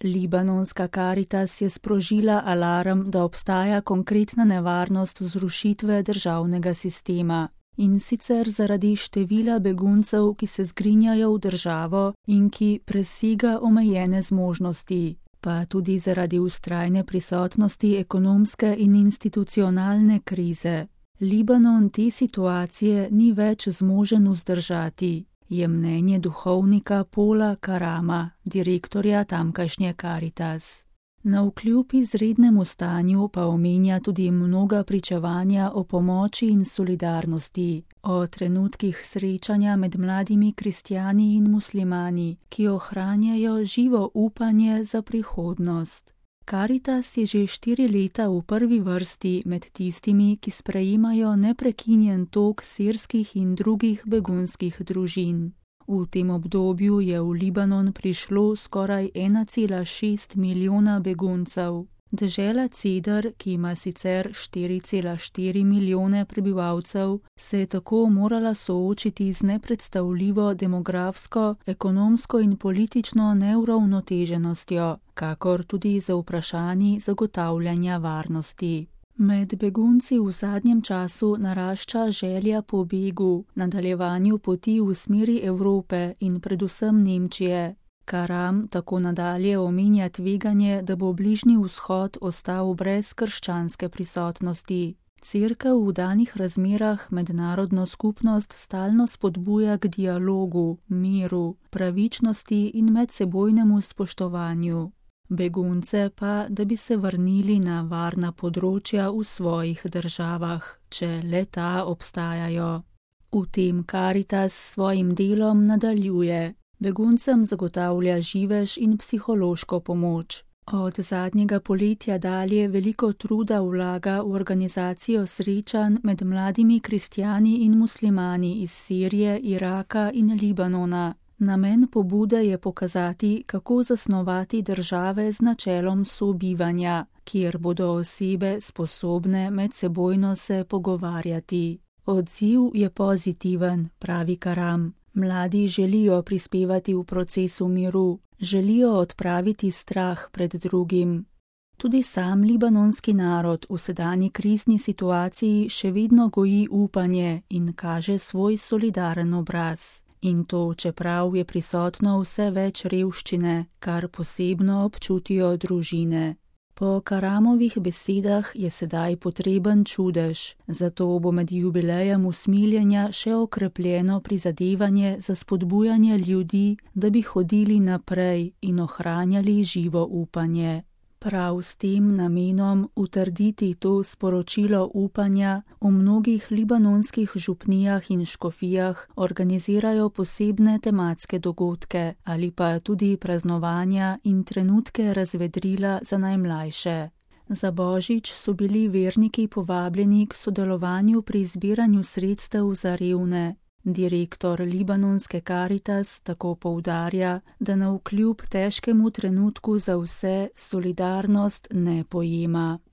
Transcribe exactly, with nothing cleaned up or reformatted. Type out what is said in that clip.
Libanonska Karitas je sprožila alarm, da obstaja konkretna nevarnost zrušitve državnega sistema. In sicer zaradi števila beguncev, ki se zgrinjajo v državo in ki presega omejene zmožnosti, pa tudi zaradi vztrajne prisotnosti ekonomske in institucionalne krize. Libanon te situacije ni več zmožen vzdržati, je mnenje duhovnika Paula Karama, direktorja tamkajšnje Karitas. Navkljub izrednemu stanju pa omenja tudi mnoga pričevanja o pomoči in solidarnosti, o trenutkih srečanja med mladimi kristjani in muslimani, ki ohranjajo živo upanje za prihodnost. Karitas je že štiri leta v prvi vrsti med tistimi, ki sprejemajo neprekinjen tok sirskih in drugih begunskih družin. V tem obdobju je v Libanon prišlo skoraj ena cela šest milijona beguncev. Dežela Cedar, ki ima sicer štiri cela štiri milijone prebivalcev, se je tako morala soočiti z nepredstavljivo demografsko, ekonomsko in politično neuravnoteženostjo, kakor z vprašanji zagotavljanja varnosti. Med begunci v zadnjem času narašča želja po begu, nadaljevanju poti v smeri Evrope in predvsem Nemčije. Karam tako nadalje omenja tveganje, da bo Bližnji vzhod ostal brez krščanske prisotnosti. Cerkev v danih razmerah mednarodno skupnost stalno spodbuja k dialogu, miru, pravičnosti in medsebojnemu spoštovanju. Begunce pa, da bi se vrnili na varna področja v svojih državah, če le ta obstajajo. V tem Karitas s svojim delom nadaljuje. Beguncem zagotavlja živež in psihološko pomoč. Od zadnjega poletja dalje veliko truda vlaga v organizacijo srečanj med mladimi kristjani in muslimani iz Sirije, Iraka in Libanona. Namen pobude je pokazati, kako zasnovati države z načelom sobivanja, kjer bodo osebe sposobne medsebojno se pogovarjati. Odziv je pozitiven, pravi Karam. Mladi želijo prispevati v procesu miru, želijo odpraviti strah pred drugim. Tudi sam libanonski narod v sedanji krizni situaciji še vedno goji upanje in kaže svoj solidaren obraz. In to, čeprav je prisotno vse več revščine, kar posebno občutijo družine. Po Karamovih besedah je sedaj potreben čudež, zato bo med jubilejem usmiljenja še okrepljeno prizadevanje za spodbujanje ljudi, da bi hodili naprej in ohranjali živo upanje. Prav s tem namenom utrditi to sporočilo upanja v mnogih libanonskih župnijah in škofijah organizirajo posebne tematske dogodke ali pa tudi praznovanja in trenutke razvedrila za najmlajše. Za Božič so bili verniki povabljeni k sodelovanju pri zbiranju sredstev za revne. Direktor libanonske Karitas tako poudarja, da navkljub težkemu trenutku za vse solidarnost ne pojema.